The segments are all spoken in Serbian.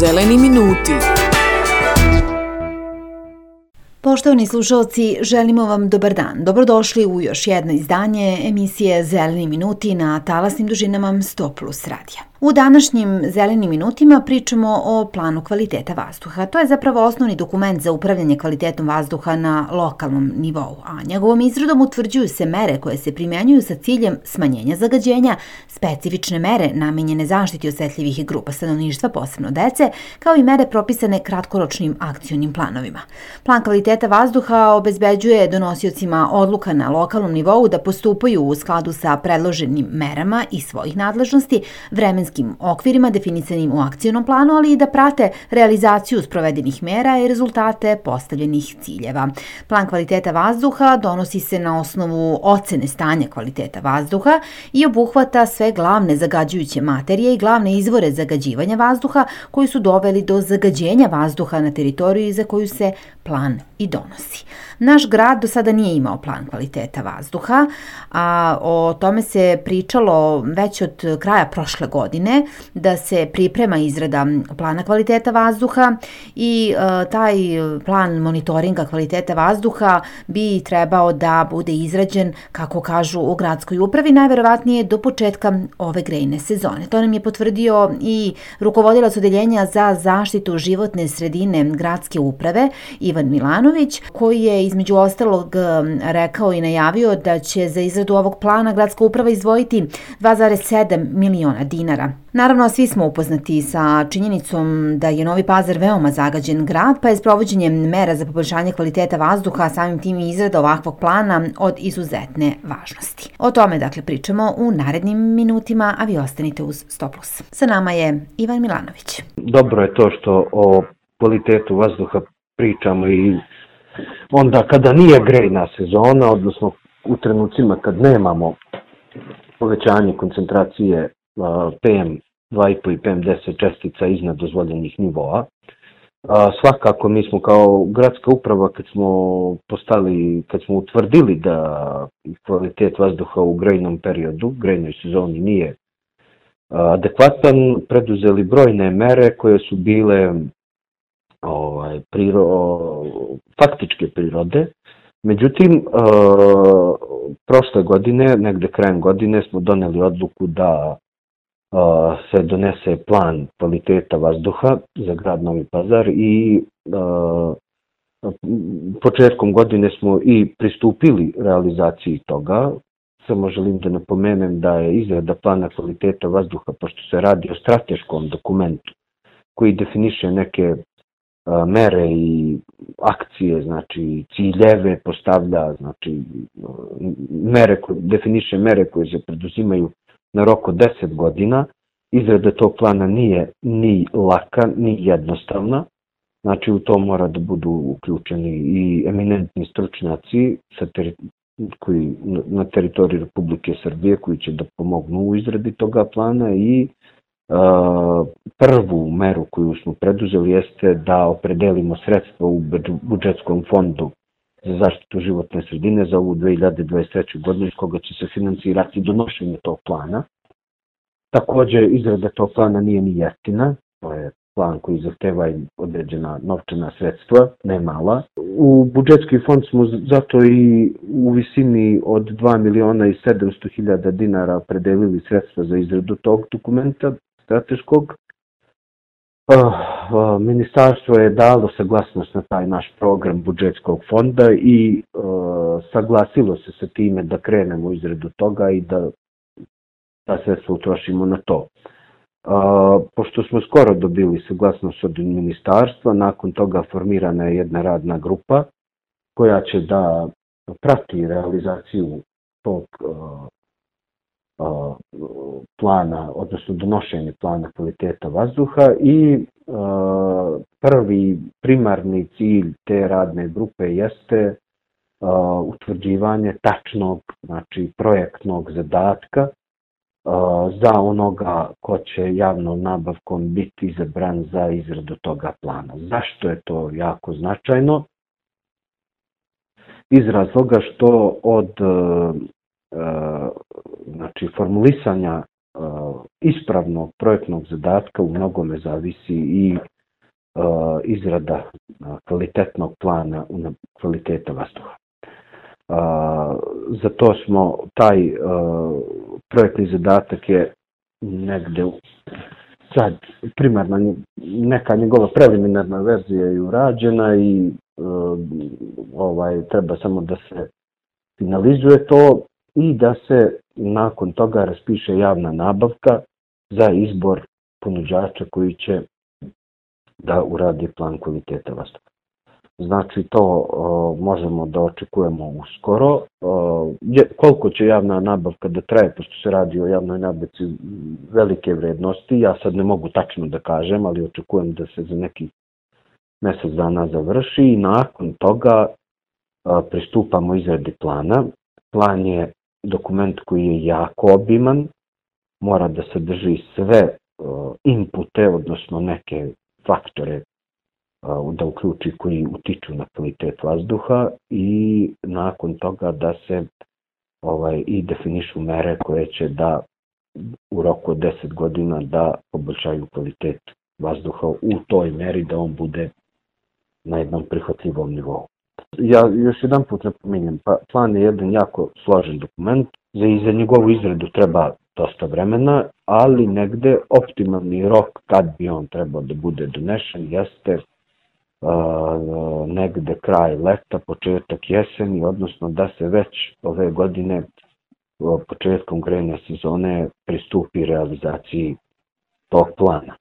Zeleni minuti. Poštovani slušalci, želimo vam dobar dan. Dobrodošli u još jedno izdanje emisije Zeleni minuti na talasnim dužinama 100+ radija. U današnjim Zelenim minutima pričamo o planu kvaliteta vazduha. To je zapravo osnovni dokument za upravljanje kvalitetom vazduha na lokalnom nivou, a njegovom izradom utvrđuju se mere koje se primjenjuju sa ciljem smanjenja zagađenja, specifične mere namenjene zaštiti osetljivih grupa stanovništva, posebno dece, kao i mere propisane kratkoročnim akcionim planovima. Plan kvaliteta vazduha obezbeđuje donosiocima odluka na lokalnom nivou da postupaju u skladu sa predloženim merama i svojih nadležnosti, vremenskim okvirima definisanim u akcionom planu, ali i da prate realizaciju sprovedenih mera i rezultate postavljenih ciljeva. Plan kvaliteta vazduha donosi se na osnovu ocene stanja kvaliteta vazduha i obuhvata sve glavne zagađujuće materije i glavne izvore zagađivanja vazduha koji su doveli do zagađenja vazduha na teritoriji za koju se plan i donosi. Naš grad do sada nije imao plan kvaliteta vazduha, a o tome se pričalo već od kraja prošle godine, da se priprema izrada plana kvaliteta vazduha i taj plan monitoringa kvaliteta vazduha bi trebao da bude izrađen, kako kažu u gradskoj upravi, najverovatnije do početka ove grejne sezone. To nam je potvrdio i rukovodilac odeljenja za zaštitu životne sredine gradske uprave, Ivan Milanović, koji je između ostalog rekao i najavio da će za izradu ovog plana gradska uprava izdvojiti 2,7 miliona dinara. Naravno, svi smo upoznati sa činjenicom da je Novi Pazar veoma zagađen grad, pa je sprovođenje mera za poboljšanje kvaliteta vazduha, a samim tim i izrada ovakvog plana od izuzetne važnosti. O tome, dakle, pričamo u narednim minutima, a vi ostanite uz 100+. Sa nama je Ivan Milanović. Dobro je to što o kvalitetu vazduha pričamo i onda kada nije grejna sezona, odnosno u trenucima kad nemamo povećanje koncentracije PM2,5 i PM10 čestica iznad dozvoljenih nivoa. Svakako mi smo kao gradska uprava kad smo utvrdili da kvalitet vazduha u grejnom periodu, grejnoj sezoni nije adekvatan, preduzeli brojne mere koje su bile faktičke prirode. Međutim, prošle godine, negde krajem godine, smo doneli odluku da se donese plan kvaliteta vazduha za grad Novi Pazar i početkom godine smo i pristupili realizaciji toga. Samo želim da napomenem da je izrada plana kvaliteta vazduha, pošto se radi o strateškom dokumentu koji definiše neke mere i akcije, znači ciljeve postavlja, znači definiše mere koje se preduzimaju na rok od 10 godina. Izrada tog plana nije ni laka, ni jednostavna. Znači u to mora da budu uključeni i eminentni stručnjaci koji na teritoriji Republike Srbije koji će da pomognu u izradi toga plana i prvu meru koju smo preduzeli jeste da opredelimo sredstva u budžetskom fondu za zaštitu životne sredine za ovu 2023. godinu iz koga će se finansirati donošenje tog plana. Također, izrada tog plana nije ni jeftina, to je plan koji zahteva određena novčana sredstva, ne mala. U budžetski fond smo zato i u visini od 2.700.000 dinara opredelili sredstva za izradu tog dokumenta strateškog. Ministarstvo je dalo saglasnost na taj naš program budžetskog fonda i saglasilo se sa time da krenemo u izradu toga i da ta sredstva utrošimo na to. Pošto smo skoro dobili saglasnost od ministarstva, nakon toga formirana je jedna radna grupa koja će da prati realizaciju tog plana, odnosno donošenje plana kvaliteta vazduha i prvi primarni cilj te radne grupe jeste utvrđivanje tačnog, znači projektnog zadatka za onoga ko će javnom nabavkom biti izabran za izradu toga plana. Zašto je to jako značajno? Iz razloga što od formulisanja ispravnog projektnog zadatka u mnogome zavisi i izrada kvalitetnog plana kvaliteta vazduha. Za to smo taj projektni zadatak je negde sad primarna neka njegova preliminarna verzija je urađena i treba samo da se finalizuje to i da se nakon toga raspiše javna nabavka za izbor ponuđača koji će da uradi plan kvaliteta vazduha. Znači to možemo da očekujemo uskoro. Koliko će javna nabavka da traje, pošto se radi o javnoj nabavci velike vrednosti, ja sad ne mogu tačno da kažem, ali očekujem da se za nekih mjesec dana završi i nakon toga pristupamo izradi plana. Plan je dokument koji je jako obiman, mora da sadrži sve inpute, odnosno neke faktore da uključi koji utiču na kvalitet vazduha i nakon toga da se i definišu mere koje će da u roku od 10 godina da poboljšaju kvalitet vazduha u toj meri da on bude na jednom prihvatljivom nivou. Ja još jedan put napominjem, plan je jedan jako složen dokument, za njegovu izradu treba dosta vremena, ali negde optimalni rok kad bi on trebao da bude donešen jeste negde kraj leta, početak jeseni, odnosno da se već ove godine početkom grejne sezone pristupi realizaciji tog plana.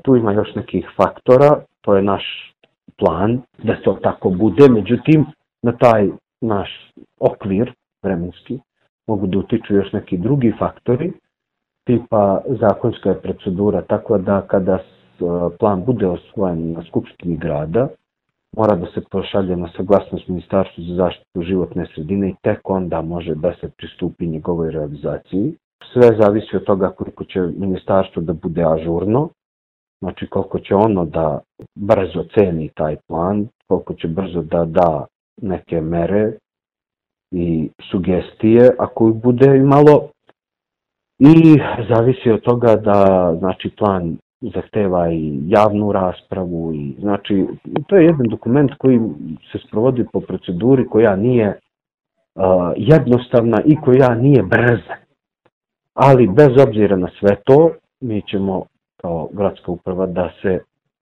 Tu ima još nekih faktora, to je naš plan da to tako bude, međutim na taj naš okvir vremenski mogu da utiču još neki drugi faktori, tipa zakonska je procedura, tako da kada plan bude osvojen na Skupštini grada, mora da se pošalje na saglasnost Ministarstvu za zaštitu životne sredine i tek onda može da se pristupi njegovoj realizaciji. Sve zavisi od toga koliko će ministarstvo da bude ažurno, znači koliko će ono da brzo ceni taj plan, koliko će brzo da da neke mere i sugestije ako ih bude imalo, i zavisi od toga da znači plan zahteva i javnu raspravu i znači to je jedan dokument koji se sprovodi po proceduri koja nije jednostavna i koja nije brza. Ali bez obzira na sve to, mi ćemo kao gradska uprava da se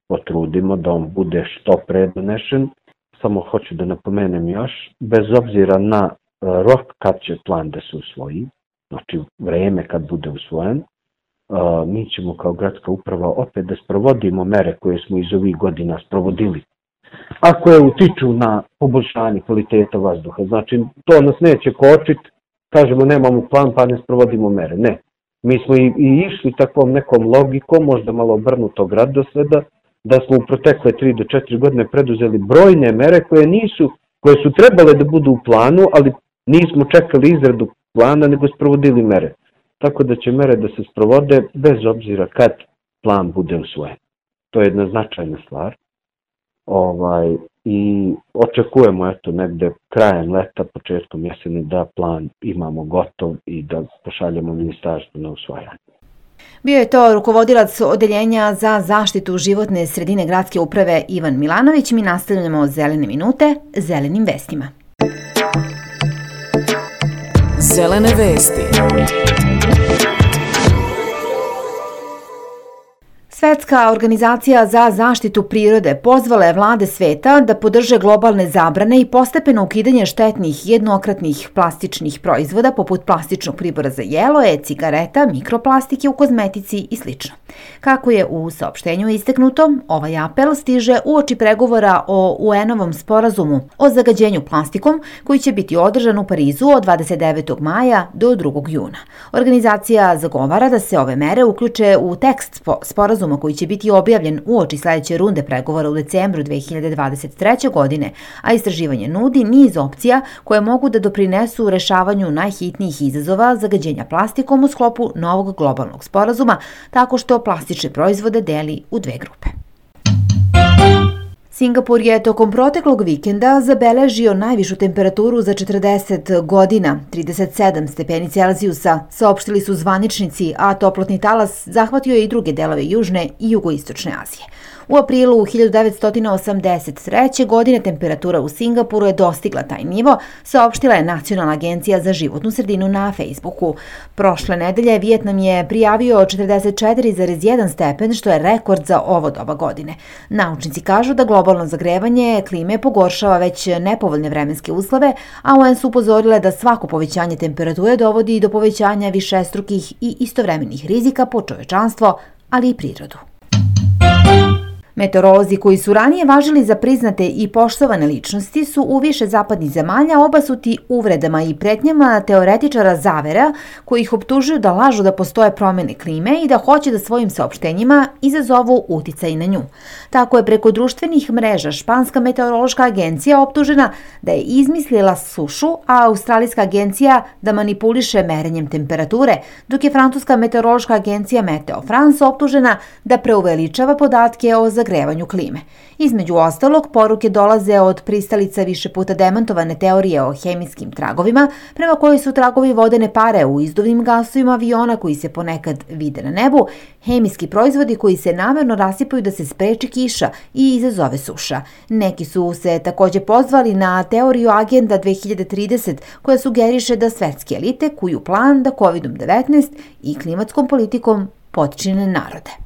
potrudimo da on bude što pre donešen. Samo hoću da napomenem još, bez obzira na rok kad će plan da se usvoji, znači vreme kad bude usvojen, mi ćemo kao gradska uprava opet da sprovodimo mere koje smo iz ovih godina sprovodili. A koje utiču na poboljšanje kvaliteta vazduha. Znači, to nas neće kočiti, kažemo nemamo plan pa ne sprovodimo mere. Ne. Mi smo i išli takvom nekom logikom, možda malo obrnutog radosleda, da smo u protekle 3 do 4 godine preduzeli brojne mere koje su trebale da budu u planu, ali nismo čekali izradu plana, nego sprovodili mere. Tako da će mere da se sprovode bez obzira kad plan bude usvojen. To je jedna značajna stvar. I očekujemo negde krajem leta, početkom jeseni da plan imamo gotov i da pošaljemo ministarstvu na usvajanje. Bio je to rukovodilac Odeljenja za zaštitu životne sredine gradske uprave Ivan Milanović. Mi nastavljamo Zelene minute zelenim vestima. Zelene vesti. Svetska organizacija za zaštitu prirode pozvala je vlade sveta da podrže globalne zabrane i postepeno ukidanje štetnih jednokratnih plastičnih proizvoda poput plastičnog pribora za jelo, e-cigareta, mikroplastike u kozmetici i sl. Kako je u saopštenju istaknuto, ovaj apel stiže uoči pregovora o UN-ovom sporazumu o zagađenju plastikom koji će biti održan u Parizu od 29. maja do 2. juna. Organizacija zagovara da se ove mere uključe u tekst sporazuma koji će biti objavljen uoči sledeće runde pregovora u decembru 2023. godine, a istraživanje nudi niz opcija koje mogu da doprinesu rešavanju najhitnijih izazova zagađenja plastikom u sklopu novog globalnog sporazuma, tako što plastične proizvode deli u 2 grupe. Singapur je tokom proteklog vikenda zabeležio najvišu temperaturu za 40 godina, 37 stepeni Celzijusa, saopštili su zvaničnici, a toplotni talas zahvatio je i druge delove Južne i Jugoistočne Azije. U aprilu 1983. godine temperatura u Singapuru je dostigla taj nivo, saopštila je Nacionalna agencija za životnu sredinu na Facebooku. Prošle nedelje Vijetnam je prijavio 44,1 stepen, što je rekord za ovo doba godine. Naučnici kažu da globalno zagrevanje klime pogoršava već nepovoljne vremenske uslove, a UN su upozorile da svako povećanje temperature dovodi do povećanja višestrukih i istovremenih rizika po čovečanstvo, ali i prirodu. Meteorolozi koji su ranije važili za priznate i poštovane ličnosti su u više zapadnih zemalja obasuti uvredama i pretnjama teoretičara zavera koji ih optužuju da lažu da postoje promene klime i da hoće da svojim saopštenjima izazovu uticaj na nju. Tako je preko društvenih mreža Španska meteorološka agencija optužena da je izmislila sušu, a Australijska agencija da manipuliše merenjem temperature, dok je Francuska meteorološka agencija Meteo France optužena da preuveličava podatke o zagrevanju klime. Između ostalog, poruke dolaze od pristalica više puta demantovane teorije o hemijskim tragovima, prema kojoj su tragovi vodene pare u izduvnim gasovima aviona koji se ponekad vide na nebu, hemijski proizvodi koji se namerno rasipaju da se spreči kiša i izazove suša. Neki su se takođe pozvali na teoriju Agenda 2030 koja sugeriše da svetske elite kuju plan da COVID-19 i klimatskom politikom potčine narode.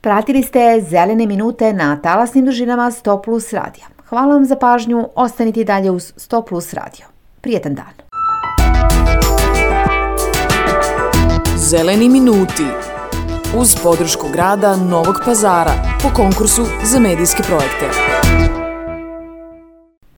Pratili ste Zelene minute na talasnim dužinama 100 plus radija. Hvala vam za pažnju, ostanite i dalje uz 100 plus radio. Prijetan dan. Zeleni minuti uz podršku grada Novog Pazara po konkursu za medijske projekte.